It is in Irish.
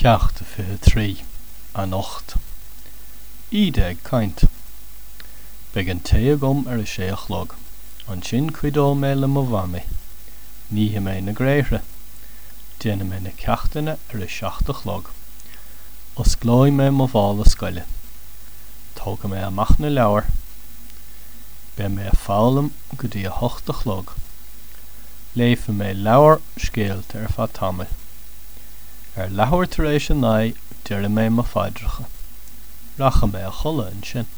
Ceacht 23, Anocht. Íde ag caint. Beidh an tae agam ar a sé a chlog. Ansin cuideoidh mé le mo mhamaí. Nífidh mé na gréithre. Déanfaidh mé na ceachtanna ar a 7 a chlog. Osclóidh mé mo mhála scoile. Tógfaidh mé amach na leabhair. Beidh mé ag foghlaim go dtí a hocht a chlog. Léifidh mé leabhar scéalta ar feadh tamaill. Ar leathuair tar éis a 9 déarfaidh mé mo phaidreacha. Rachaidh mé a chodladh ansin.